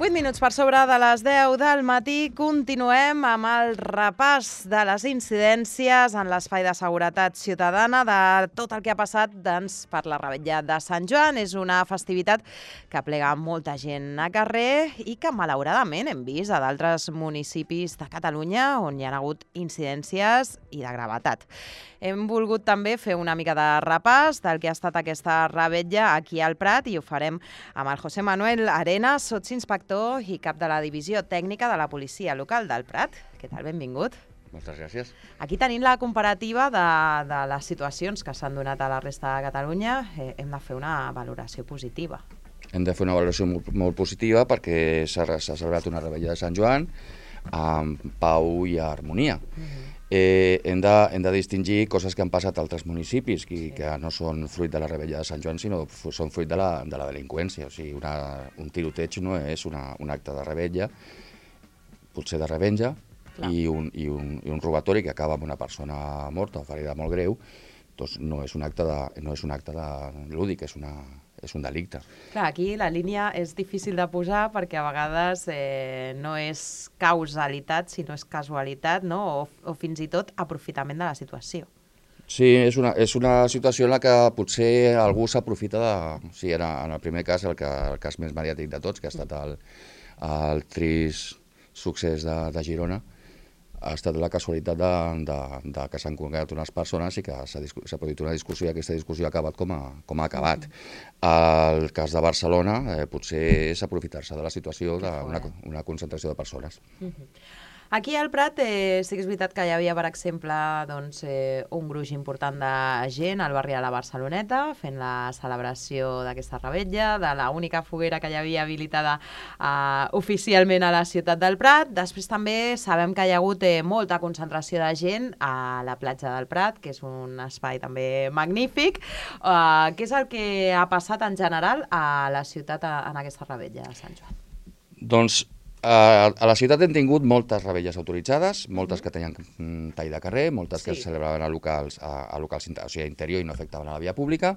8 minuts per sobre de les 10 del matí. Continuem amb el repàs de les incidències en l'espai de seguretat ciutadana de tot el que ha passat per la Revetlla de Sant Joan. És una festivitat que aplega molta gent a carrer i que malauradament hem vist a d'altres municipis de Catalunya on hi ha hagut incidències i de gravetat. Hem volgut també fer una mica de repàs del que ha estat aquesta Revetlla aquí al Prat i ho farem amb el José Manuel Arenas, sotsinspector i cap de la Divisió Tècnica de la Policia Local del Prat. Què tal? Benvingut. Moltes gràcies. Aquí tenim la comparativa de les situacions que s'han donat a la resta de Catalunya. Hem de fer una valoració positiva. Hem de fer una valoració molt positiva perquè s'ha celebrat una Revetlla de Sant Joan amb pau i harmonia. Hem de distingir coses que han passat a altres municipis que no són fruit de la Revetlla de Sant Joan, sinó són fruit de la delinqüència. O sigui, un tiroteig no és un acte de revetlla, potser de revenja, i un robatori que acaba amb una persona morta o ferida molt greu, doncs no és un acte lúdic, és un delicte. Clar, aquí la línia és difícil de posar perquè a vegades no és causalitat, sinó és casualitat, no? O fins i tot aprofitament de la situació. Sí, és una situació en la que potser algú s'aprofita de... O sigui, en el primer cas, el cas més mediàtic de tots, que ha estat el trist succés de Girona, ha estat la casualitat de que s'han congregat unes persones i que s'ha produït una discussió i aquesta discussió ha acabat com ha acabat. El cas de Barcelona potser és aprofitar-se de la situació d'una concentració de persones. Aquí al Prat sí que és veritat que hi havia, per exemple, un gruix important de gent al barri de la Barceloneta fent la celebració d'aquesta Revetlla, de l'única foguera que hi havia habilitada oficialment a la ciutat del Prat. Després també sabem que hi ha hagut molta concentració de gent a la platja del Prat, que és un espai també magnífic. Què és el que ha passat en general a la ciutat en aquesta Revetlla de Sant Joan? Doncs a la ciutat hem tingut moltes revetlles autoritzades, moltes que tenien tall de carrer, moltes que es celebraven a locals interior i no afectaven a la via pública,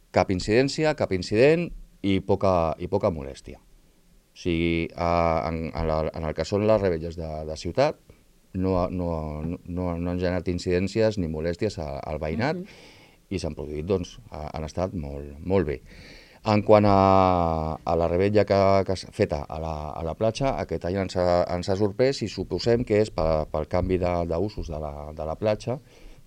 cap incidència, cap incident i poca molèstia. O sigui, en el que són les revetlles de ciutat no han generat incidències ni molèsties al veïnat i s'han produït, doncs, han estat molt bé. En quant a la revetlla que és feta a la platja, aquest any ens ha sorprès i suposem que és pel canvi d'usos de la platja,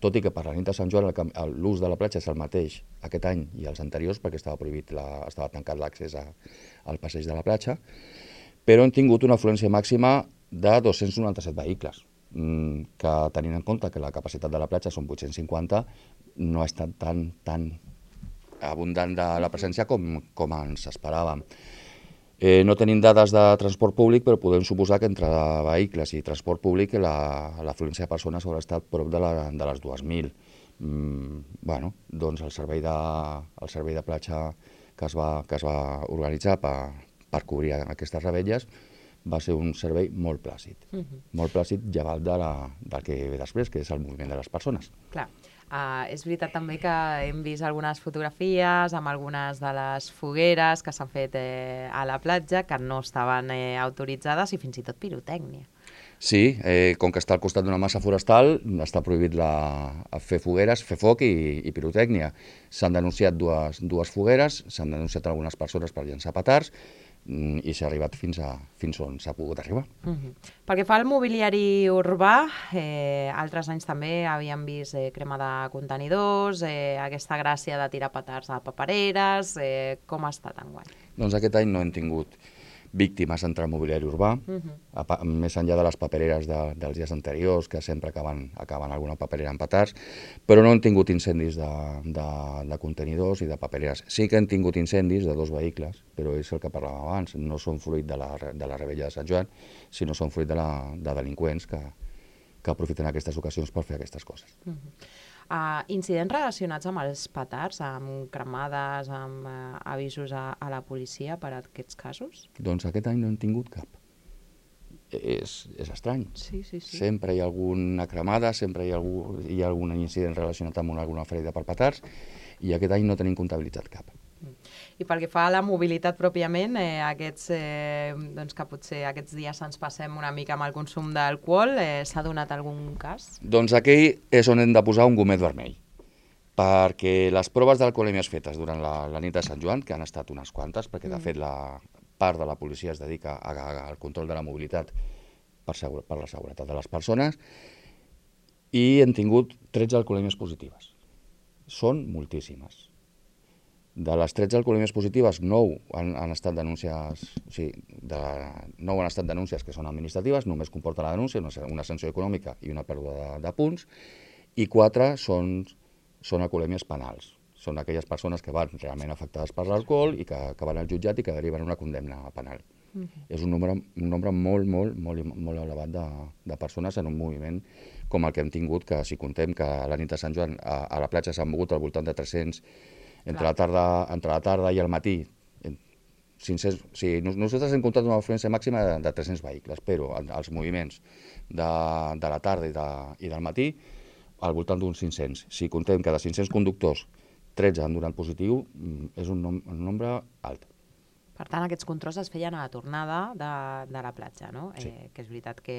tot i que per la nit de Sant Joan l'ús de la platja és el mateix aquest any i els anteriors perquè estava tancat l'accés al passeig de la platja, però hem tingut una afluència màxima de 297 vehicles, que tenint en compte que la capacitat de la platja són 850, no ha estat tan abundant de la presència com ens esperàvem. No tenim dades de transport públic, però podem suposar que entre vehicles i transport públic l'afluència de persones haurà estat prop de les 2.000. Doncs el servei de platja que es va organitzar per cobrir aquestes revetlles va ser un servei molt plàcid. Molt plàcid llevat del que ve després, que és el moviment de les persones. Clar. És veritat també que hem vist algunes fotografies amb algunes de les fogueres que s'han fet a la platja que no estaven autoritzades i fins i tot pirotècnia. Sí, com que està al costat d'una massa forestal, està prohibit fer fogueres, fer foc i pirotècnia. S'han denunciat dues fogueres, s'han denunciat algunes persones per llançar petards, i s'ha arribat fins on s'ha pogut arribar. Pel que fa al mobiliari urbà, altres anys també havíem vist crema de contenidors, aquesta gràcia de tirar petards a papereres. Com ha estat enguany? Doncs aquest any no hem tingut víctimes entre el mobiliari urbà, més enllà de les papereres dels dies anteriors, que sempre acaben alguna paperera amb petards, però no hem tingut incendis de contenidors i de papereres. Sí que hem tingut incendis de 2 vehicles, però és el que parlàvem abans, no són fruit de la Revetlla de Sant Joan, sinó són fruit de delinqüents que aprofiten aquestes ocasions per fer aquestes coses. Incidents relacionats amb els petards, amb cremades, amb avisos a la policia per a aquests casos? Doncs aquest any no hem tingut cap. És estrany. Sí. Sempre hi ha alguna cremada, sempre hi ha algun incident relacionat amb alguna ferida per petards i aquest any no tenim comptabilitzat cap. I pel que fa a la mobilitat pròpiament, doncs que potser aquests dies ens passem una mica amb el consum d'alcohol, s'ha donat algun cas? Doncs aquí és on hem de posar un gomet vermell, perquè les proves d'alcoholèmies fetes durant la nit de Sant Joan, que han estat unes quantes, perquè de fet la part de la policia es dedica al control de la mobilitat per la seguretat de les persones, i hem tingut 13 alcoholèmies positives. Són moltíssimes. De les 13 alcoholèmies positives, 9 han estat denúncies, o sigui, 9 han estat denúncies que són administratives, només comporta la denúncia, una sanció econòmica i una pèrdua de punts, i 4 són alcoholèmies penals. Són aquelles persones que van realment afectades per l'alcohol i que van al jutjat i que deriven una condemna penal. És un nombre molt elevat de persones en un moviment com el que hem tingut, que si contem que a la nit de Sant Joan a la platja s'han mogut al voltant de 300, entre la tarda i el matí, 500, o sigui, nosaltres hem comptat una afluència màxima de 300 vehicles, però els moviments de la tarda i del matí al voltant d'uns 500. Si contem que de 500 conductors 13 han donat positiu, és un nombre alt. Per tant, aquests controls es feien a la tornada de la platja, no? Sí. Que és veritat que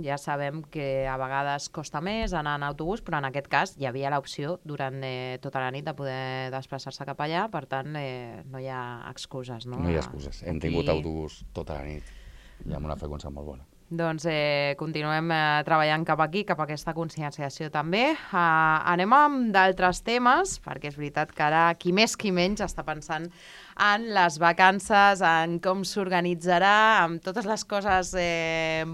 ja sabem que a vegades costa més anar en autobús, però en aquest cas hi havia l'opció durant tota la nit de poder desplaçar-se cap allà, per tant no hi ha excuses, no? No hi ha excuses. Hem tingut autobús tota la nit i amb una freqüència molt bona. Doncs continuem treballant cap aquí, cap a aquesta conscienciació també. Anem amb d'altres temes, perquè és veritat que ara qui més qui menys està pensant en les vacances, en com s'organitzarà, amb totes les coses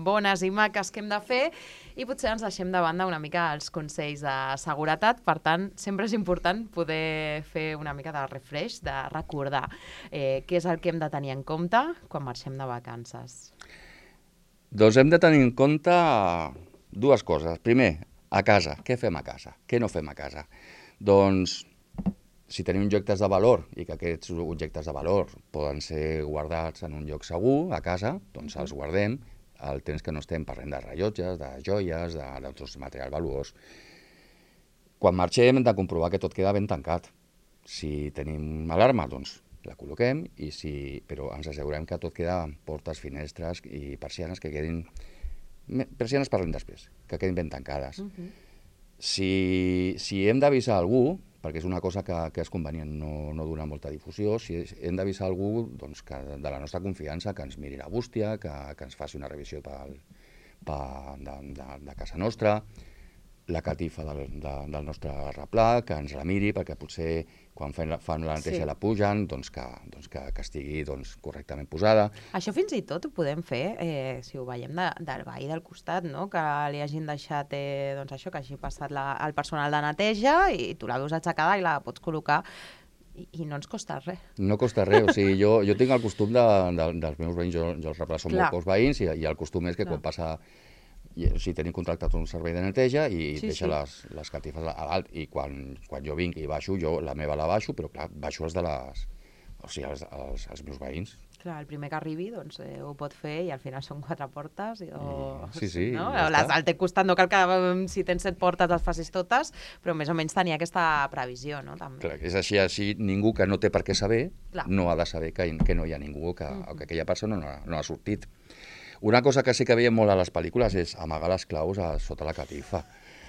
bones i maques que hem de fer, i potser ens deixem de banda una mica els consells de seguretat. Per tant, sempre és important poder fer una mica de refresh, de recordar què és el que hem de tenir en compte quan marxem de vacances. Doncs hem de tenir en compte dues coses. Primer, a casa. Què fem a casa? Què no fem a casa? Doncs, si tenim objectes de valor i que aquests objectes de valor poden ser guardats en un lloc segur, a casa, doncs els guardem el temps que no estem parlant de rellotges, de joies, d'altres material valuós. Quan marxem hem de comprovar que tot queda ben tancat. Si tenim alarma, doncs la col·loquem, però ens assegurem que tot queda amb portes, finestres i persianes que quedin... Persianes parlem després, que quedin ben tancades. Si hem d'avisar algú, perquè és una cosa que és convenient no donar molta difusió, si hem d'avisar algú doncs, de la nostra confiança, que ens miri la bústia, que ens faci una revisió de casa nostra, la catifa del nostre replà, que ens la miri, perquè potser quan fan la neteja la pugen, doncs que estigui correctament posada. Això fins i tot ho podem fer, si ho veiem del veí del costat, no? Que li hagin deixat, això, que hagi passat el personal de neteja i tu la veus aixecada i la pots col·locar i no ens costa res. No costa res, o sigui, jo tinc el costum dels meus veïns, jo els replats són molt pocs veïns i el costum és que quan passa... Si tenim contractat un servei de neteja i deixa les catifes a dalt, i quan jo vinc i baixo, jo la meva la baixo, però clar, baixo els meus veïns. Clar, el primer que arribi ho pot fer i al final són 4 portes. Sí, no? Al teu costat no cal que si tens 7 portes les facis totes, però més o menys tenir aquesta previsió, no? També. Clar, és així ningú que no té per què saber no ha de saber que no hi ha ningú, que aquella persona no ha sortit. Una cosa que sí que veiem molt a les pel·lícules és amagar les claus sota la catifa.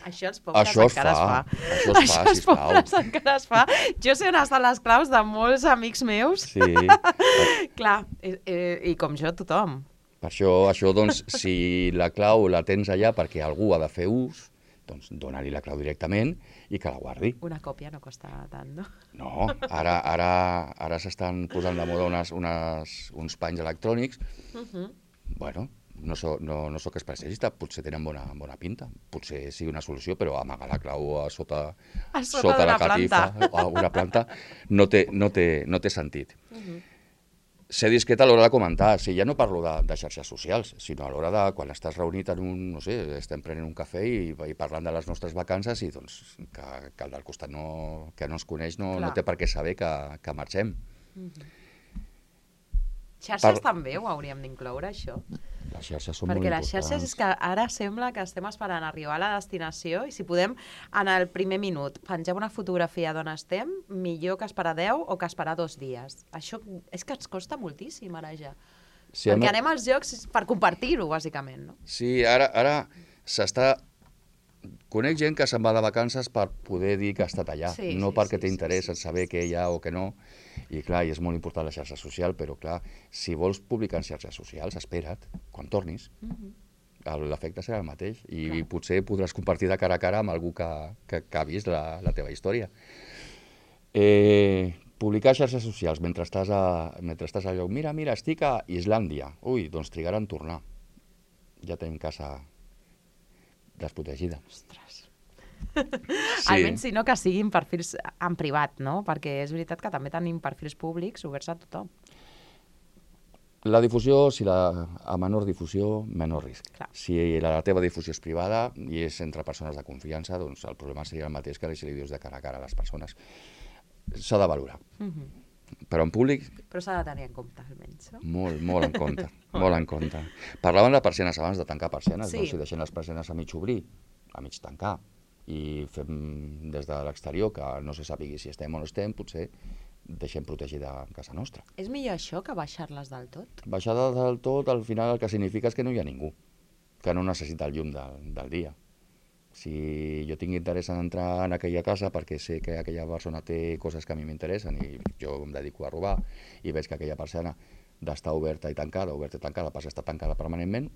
Això els pobres encara es fa. Això els pobres encara es fa. Jo sé on estan les claus de molts amics meus. Sí. Clar, i com jo, tothom. Per això, doncs, si la clau la tens allà perquè algú ha de fer ús, doncs dona-li la clau directament i que la guardi. Una còpia no costa tant, no? No, ara s'estan posant de moda uns panys electrònics. Bueno, no soc especialista, potser tenen bona pinta, potser sigui una solució, però amagar la clau sota la catifa o una planta no té sentit. Ser discret a l'hora de comentar, ja no parlo de xarxes socials, sinó a l'hora de quan estàs reunit en estem prenent un cafè i parlant de les nostres vacances i doncs que el del costat que no ens coneix no té per què saber que marxem. Xarxes també ho hauríem d'incloure, això? Les xarxes són molt Perquè les importants. xarxes és que ara sembla que estem esperant arribar a la destinació i si podem, en el primer minut, penjar una fotografia d'on estem, millor que esperar 10 o que esperar 2 dies. Això és que ens costa moltíssim ara ja. Sí, perquè anem als llocs per compartir-ho, bàsicament, no? Sí, ara s'està... Conec gent que se'n va de vacances per poder dir que ha estat allà, no perquè té interès en saber què hi ha o què no. I clar, i és molt important la xarxa social, però clar, si vols publicar en xarxes socials, espera't, quan tornis. L'efecte serà el mateix i potser podràs compartir de cara a cara amb algú que ha vist la teva història. Publicar xarxes socials mentre estàs a lloc. Mira, estic a Islàndia. Ui, doncs trigarà en tornar. Ja tenim casa desprotegida. Ostres. Sí. Almenys si no que siguin perfils en privat, no? Perquè és veritat que també tenim perfils públics oberts a tothom. La difusió, a menor difusió, menor risc. Clar. Si la teva difusió és privada i és entre persones de confiança, doncs el problema seria el mateix que si li dius de cara a cara a les persones. S'ha de valorar. Però en públic... Però s'ha de tenir en compte, almenys, no? Molt en compte, molt en compte. Parlaven de persianes abans, de tancar persianes, sí. No? Si deixem les persianes a mig obrir, a mig tancar, i fem des de l'exterior, que no se sàpigui si estem o no estem, potser deixem protegida casa nostra. És millor això que baixar-les del tot? Baixar-les del tot, al final el que significa és que no hi ha ningú, que no necessita el llum del dia. Si jo tinc interès en entrar en aquella casa perquè sé que aquella persona té coses que a mi m'interessen i jo em dedico a robar i veig que aquella persiana d'estar oberta i tancada passa a estar tancada permanentment,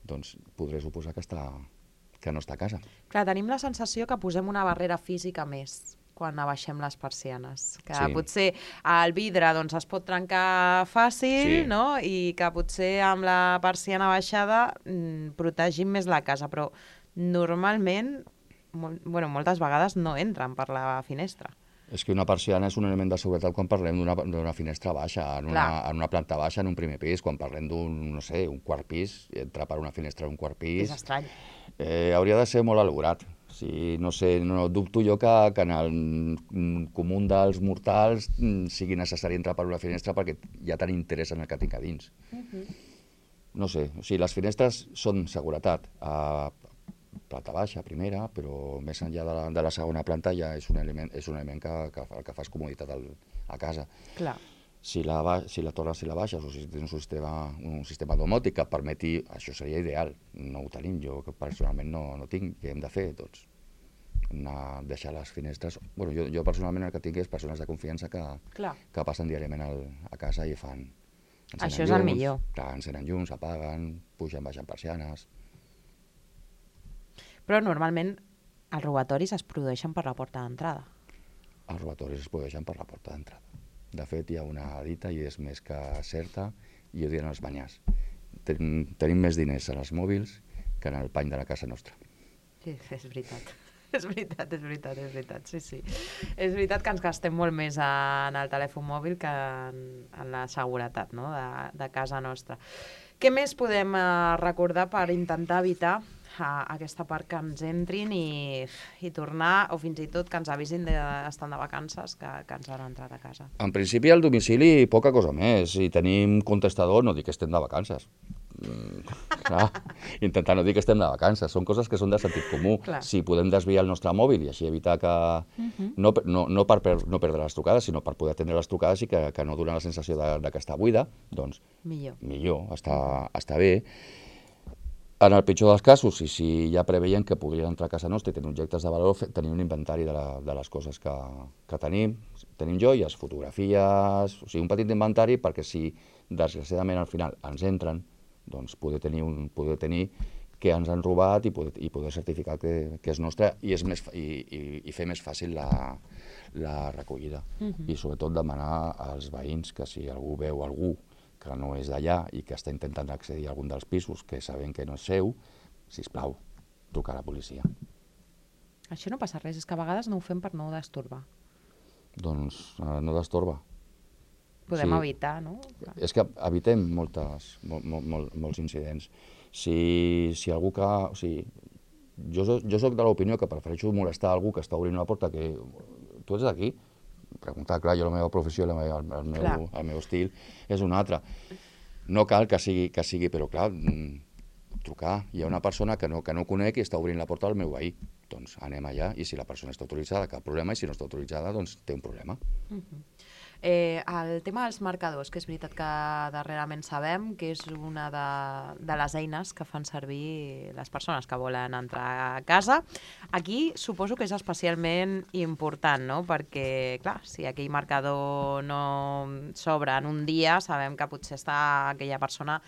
doncs podré suposar que no està a casa. Clar, tenim la sensació que posem una barrera física més quan abaixem les persianes. Que potser el vidre doncs, es pot trencar fàcil, no? I que potser amb la persiana baixada protegim més la casa, però normalment, moltes vegades no entren per la finestra. És que una persiana és un element de seguretat quan parlem d'una finestra baixa, en una planta baixa, en un primer pis, quan parlem d'un, no sé, un quart pis, entrar per una finestra d'un quart pis... És estrany. Hauria de ser molt elaborat. Sí, no sé, no dubto jo que en el comú dels mortals sigui necessari entrar per una finestra perquè ja tenim interès en el que tinc a dins. No sé, o sigui, les finestres són seguretat. Planta baixa, primera, però més enllà de la segona planta ja és un element que el que fa és comoditat a casa. Clar. Si la torres i la baixes, o si tens un sistema domòtic que permeti, això seria ideal. No ho tenim, jo personalment no tinc. Què hem de fer? Doncs deixar les finestres... Jo personalment el que tinc és persones de confiança que passen diàriament a casa i fan... Això és el millor. Clar, encenen llums, apaguen, pugen, baixen persianes... Però normalment els robatoris es produeixen per la porta d'entrada. Els robatoris es produeixen per la porta d'entrada. De fet, hi ha una dita, i és més que certa, i ho diuen els banyars. Tenim més diners en els mòbils que en el pany de la casa nostra. Sí, és veritat. És veritat, sí. És veritat que ens gastem molt més en el telèfon mòbil que en la seguretat, no? de casa nostra. Què més podem recordar per intentar evitar aquesta part que ens entrin i tornar, o fins i tot que ens avisin estant de vacances que ens han entrat a casa? En principi, al domicili, poca cosa més. Si tenim contestador, no dic que estem de vacances. Clar, intentar no dir que estem de vacances. Són coses que són de sentit comú. Clar. Si podem desviar el nostre mòbil i així evitar que... No per no perdre les trucades, sinó per poder atendre les trucades i que no donar la sensació de que està buida, doncs millor, està bé. En el pitjor dels casos, i si ja preveien que podrien entrar a casa nostra i tenir objectes de valor, tenir un inventari de les coses que tenim joies, fotografies, o sigui, un petit inventari perquè si desgraciadament al final ens entren, doncs poder tenir què ens han robat i poder certificar que és nostre i fer més fàcil la recollida. I sobretot demanar als veïns que si algú veu algú que no és d'allà i que està intentant accedir a algun dels pisos que sabem que no és seu, sisplau, trucar a la policia. Això no passa res, és que a vegades no ho fem per no destorbar. Doncs no destorba. Podem evitar, no? És que evitem molts incidents. Si algú que... O sigui, jo soc de l'opinió que prefereixo molestar algú que està obrint una porta que tu ets d'aquí, preguntar, clar, jo la meva professió, el meu estil és un altre. No cal que sigui, però clar, trucar. Hi ha una persona que no conec i està obrint la porta al meu veí. Doncs anem allà, i si la persona està autoritzada, cap problema, i si no està autoritzada, doncs té un problema. El tema dels marcadors, que és veritat que darrerament sabem que és una de les eines que fan servir les persones que volen entrar a casa. Aquí suposo que és especialment important, no? Perquè, clar, si aquell marcador no s'obre en un dia, sabem que potser està aquella persona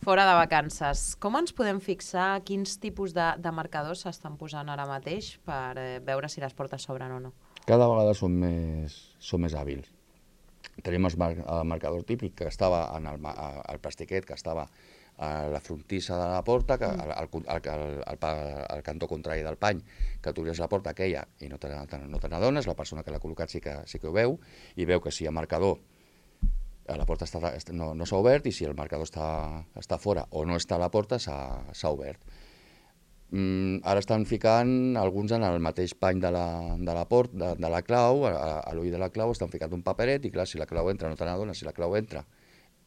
fora de vacances. Com ens podem fixar quins tipus de marcadors s'estan posant ara mateix per veure si les portes s'obren o no? Cada vegada són més hàbils. Tenim el marcador típic que estava al plastiquet, que estava a la frontissa de la porta, al cantó contrari del pany, que tu obries la porta aquella i no te n'adones, la persona que l'ha col·locat sí que ho veu, i veu que si el marcador, la porta no s'ha obert, i si el marcador està fora o no està a la porta, s'ha obert. Ara estan ficant alguns en el mateix pany de la clau, a l'ull de la clau estan ficant un paperet, i clar, si la clau entra no te n'adones, si la clau entra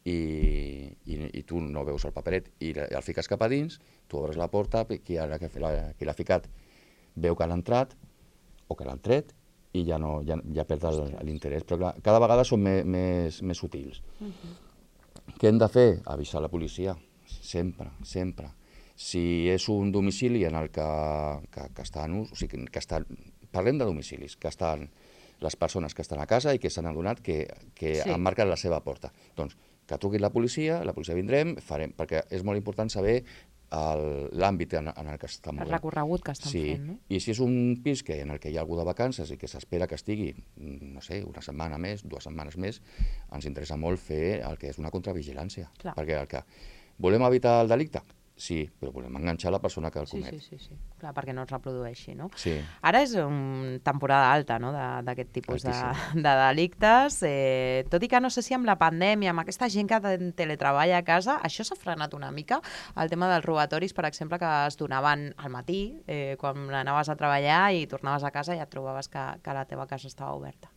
i tu no veus el paperet i el fiques cap a dins, tu obres la porta, qui l'ha ficat veu que l'ha entrat o que l'han tret i ja perd l'interès. Però clar, cada vegada són més sutils. Què hem de fer? Avisar la policia, sempre, sempre. Si és un domicili en el que està en ús, o sigui, parlem de domicilis, que estan les persones que estan a casa i que s'han adonat que han marcat la seva porta. Doncs que truqui la policia vindrem, perquè és molt important saber l'àmbit en el que estan movent. El recorregut que estan fent, no? I si és un pis en el que hi ha algú de vacances i que s'espera que estigui, no sé, una setmana més, 2 setmanes més, ens interessa molt fer el que és una contravigilància. Perquè el que volem evitar el delicte, sí, però volem enganxar la persona que el comet. Sí. Clar, perquè no es reprodueixi, no? Sí. Ara és temporada alta, no?, d'aquest tipus de delictes. Tot i que no sé si amb la pandèmia, amb aquesta gent que teletreballa a casa, això s'ha frenat una mica. El tema dels robatoris, per exemple, que es donaven al matí, quan anaves a treballar i tornaves a casa i et trobaves que la teva casa estava oberta.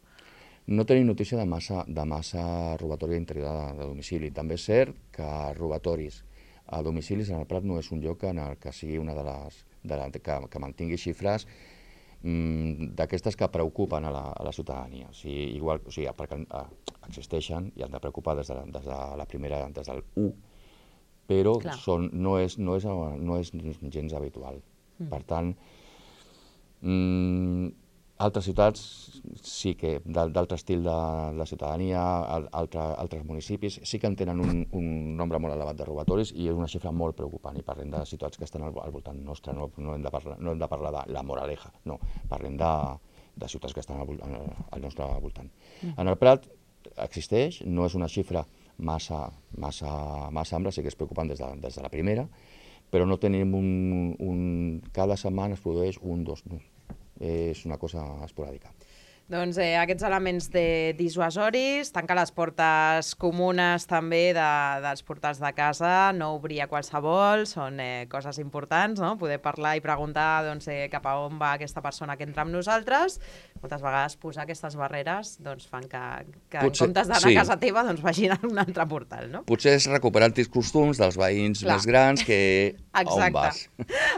No tenim notícia de massa robatori a l'interior de domicili. També és cert que robatoris a domicilis en el Prat no és un lloc en el que sigui una que mantingui xifres d'aquestes que preocupen a la ciutadania. Perquè existeixen i han de preocupar des de la primera, des del 1, però no és gens habitual. Per tant, altres ciutats sí que, d'altre estil de la ciutadania, altres municipis, sí que en tenen un nombre molt elevat de robatoris i és una xifra molt preocupant, i parlem de ciutats que estan al voltant nostre, no hem de parlar de la Moraleja, no, parlem de ciutats que estan al nostre voltant. En el Prat existeix, no és una xifra massa ampla, sí que és preocupant des de la primera, però no tenim cada setmana es produeix un, dos, no. És una cosa esporàdica. Doncs aquests elements dissuasoris, tancar les portes comunes també dels portals de casa, no obrir a qualsevol, són coses importants, no? Poder parlar i preguntar cap a on va aquesta persona que entra amb nosaltres. Moltes vegades posar aquestes barreres fan que en comptes d'anar a casa teva vagin a un altre portal, no? Potser és recuperar antics costums dels veïns més grans que a on vas.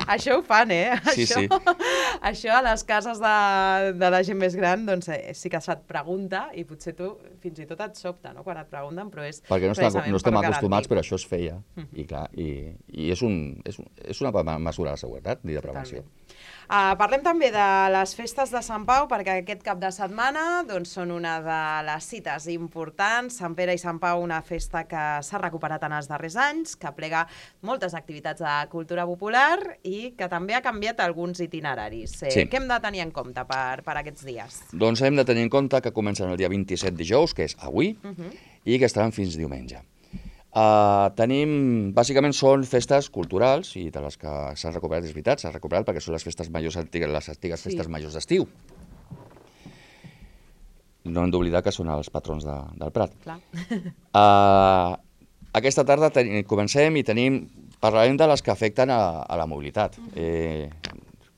Això ho fan, Sí. Això a les cases de la gent més gran, sí que se't pregunta i potser tu fins i tot et sobta, no?, quan et pregunten, però és perquè no estem acostumats, però això es feia. I clar, i és una mesura de seguretat i de prevenció. Parlem també de les festes de Sant Pau, perquè aquest cap de setmana són una de les cites importants. Sant Pere i Sant Pau, una festa que s'ha recuperat en els darrers anys, que plega moltes activitats de cultura popular i que també ha canviat alguns itineraris. Què hem de tenir en compte per aquests dies? Doncs hem de tenir en compte que comencen el dia 27 dijous, que és avui, i que estaran fins diumenge. Bàsicament són festes culturals i de les que s'han recuperat, és veritat, s'han recuperat perquè són les festes majors antigues, les antigues festes majors d'estiu. No hem d'oblidar que són els patrons del Prat. Aquesta tarda comencem i parlarem de les que afecten a la mobilitat.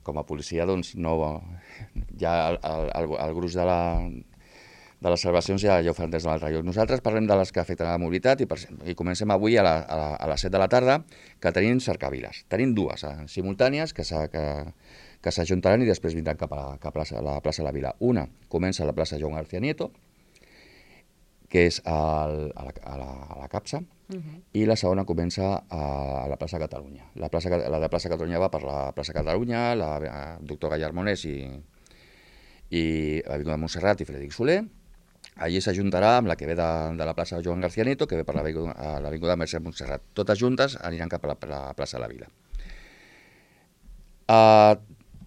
Com a policia, ja el gruix de les celebracions ja ho fan des d'un altre lloc. Nosaltres parlem de les que afecten a la mobilitat i comencem avui a les 7 de la tarda, que tenim cercaviles. Tenim dues simultànies que s'ajuntaran i després vindran cap a la plaça de la Vila. Una comença a la plaça Joan García Nieto, que és a la Capsa, i la segona comença a la plaça Catalunya. La de plaça Catalunya va per la plaça Catalunya, la doctor Gallard Monés i l'Avinguda Montserrat i Frederic Soler. Allí s'ajuntarà amb la que ve de la plaça Joan García Nieto, que ve per l'Avinguda Mercè Montserrat. Totes juntes aniran cap a la plaça de la Vila.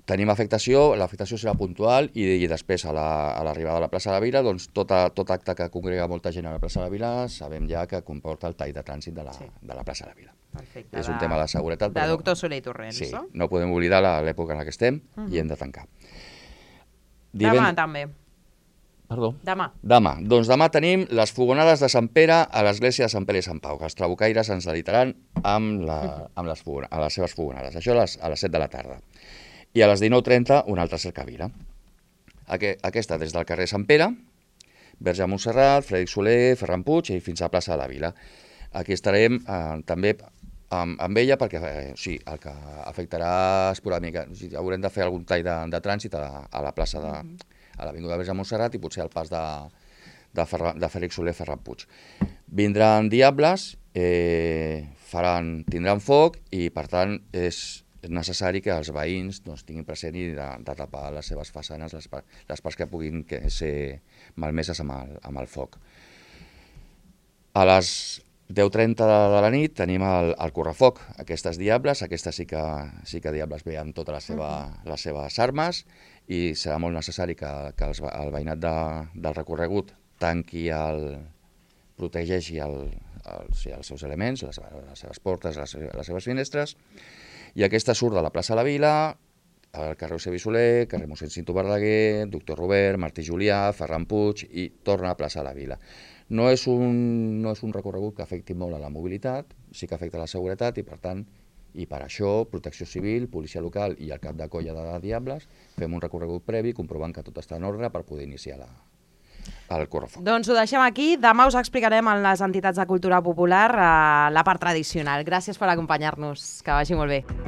Tenim afectació, l'afectació serà puntual i després a l'arribada a la plaça de la Vila, doncs tot acte que congrega molta gent a la plaça de la Vila sabem ja que comporta el tall de trànsit de la plaça de la Vila. Perfecte. És un tema de seguretat. De doctor Soler i Torrents, sí, no? No podem oblidar l'època en la que estem i hem de tancar. Demà també. Perdó? Demà. Doncs demà tenim les fogonades de Sant Pere a l'església de Sant Pere i Sant Pau, que els trabucaires ens delitaran amb les seves fogonades. Això a les 7 de la tarda. I a les 19:30 una altra cercavila. Aquesta des del carrer Sant Pere, Verge de Montserrat, Frederic Soler, Ferran Puig i fins a la plaça de la Vila. Aquí estarem també amb ella perquè el que afectarà esporàdicament, haurem de fer algun tall de trànsit a la plaça a l'Avinguda Verge de Montserrat i potser al pas de Frederic Soler, Ferran Puig. Vindran diables, tindran foc i per tant és necessari que els veïns tinguin present i de tapar les seves façanes, les parts que puguin ser malmeses amb el foc. A les 10:30 de la nit tenim el correfoc. Aquestes diables, sí que diables ve amb totes les seves armes i serà molt necessari que el veïnat del recorregut protegeixi els seus elements, les seves portes, les seves finestres. I aquesta surt de la plaça de la Vila, al carrer Eusebi Soler, carrer mossèn Cinto Verdaguer, doctor Robert, Martí Julià, Ferran Puig i torna a plaça de la Vila. No és un recorregut que afecti molt a la mobilitat, sí que afecta a la seguretat i per tant, i per això, Protecció Civil, Policia Local i el cap de colla de Diables fem un recorregut previ comprovant que tot està en ordre per poder iniciar el correfoc. Doncs ho deixem aquí. Demà us explicarem en les entitats de cultura popular la part tradicional. Gràcies per acompanyar-nos. Que vagi molt bé.